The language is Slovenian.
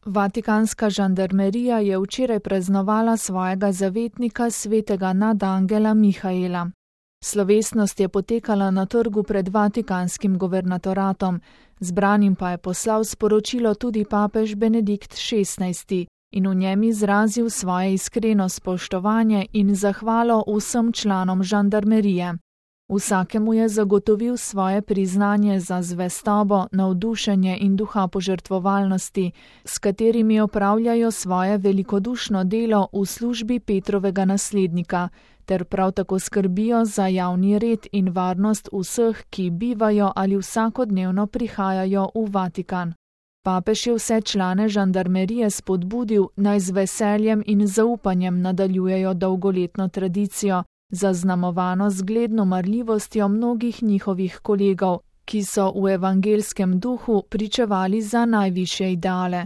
Vatikanska žandarmerija je včeraj praznovala svojega zavetnika svetega nadangela Mihaela. Slovesnost je potekala na trgu pred Vatikanskim guvernatoratom, zbranim pa je poslal sporočilo tudi papež Benedikt XVI in v njem izrazil svoje iskreno spoštovanje in zahvalo vsem članom žandarmerije. Vsakemu je zagotovil svoje priznanje za zvestobo, navdušenje in duha požrtvovalnosti, s katerimi opravljajo svoje velikodušno delo v službi Petrovega naslednika, ter prav tako skrbijo za javni red in varnost vseh, ki bivajo ali vsakodnevno prihajajo v Vatikan. Papež je vse člane žandarmerije spodbudil, naj z veseljem in zaupanjem nadaljujejo dolgoletno tradicijo, zaznamovano zgledno marljivostjo mnogih njihovih kolegov, ki so v evangelskem duhu pričevali za najvišje ideale.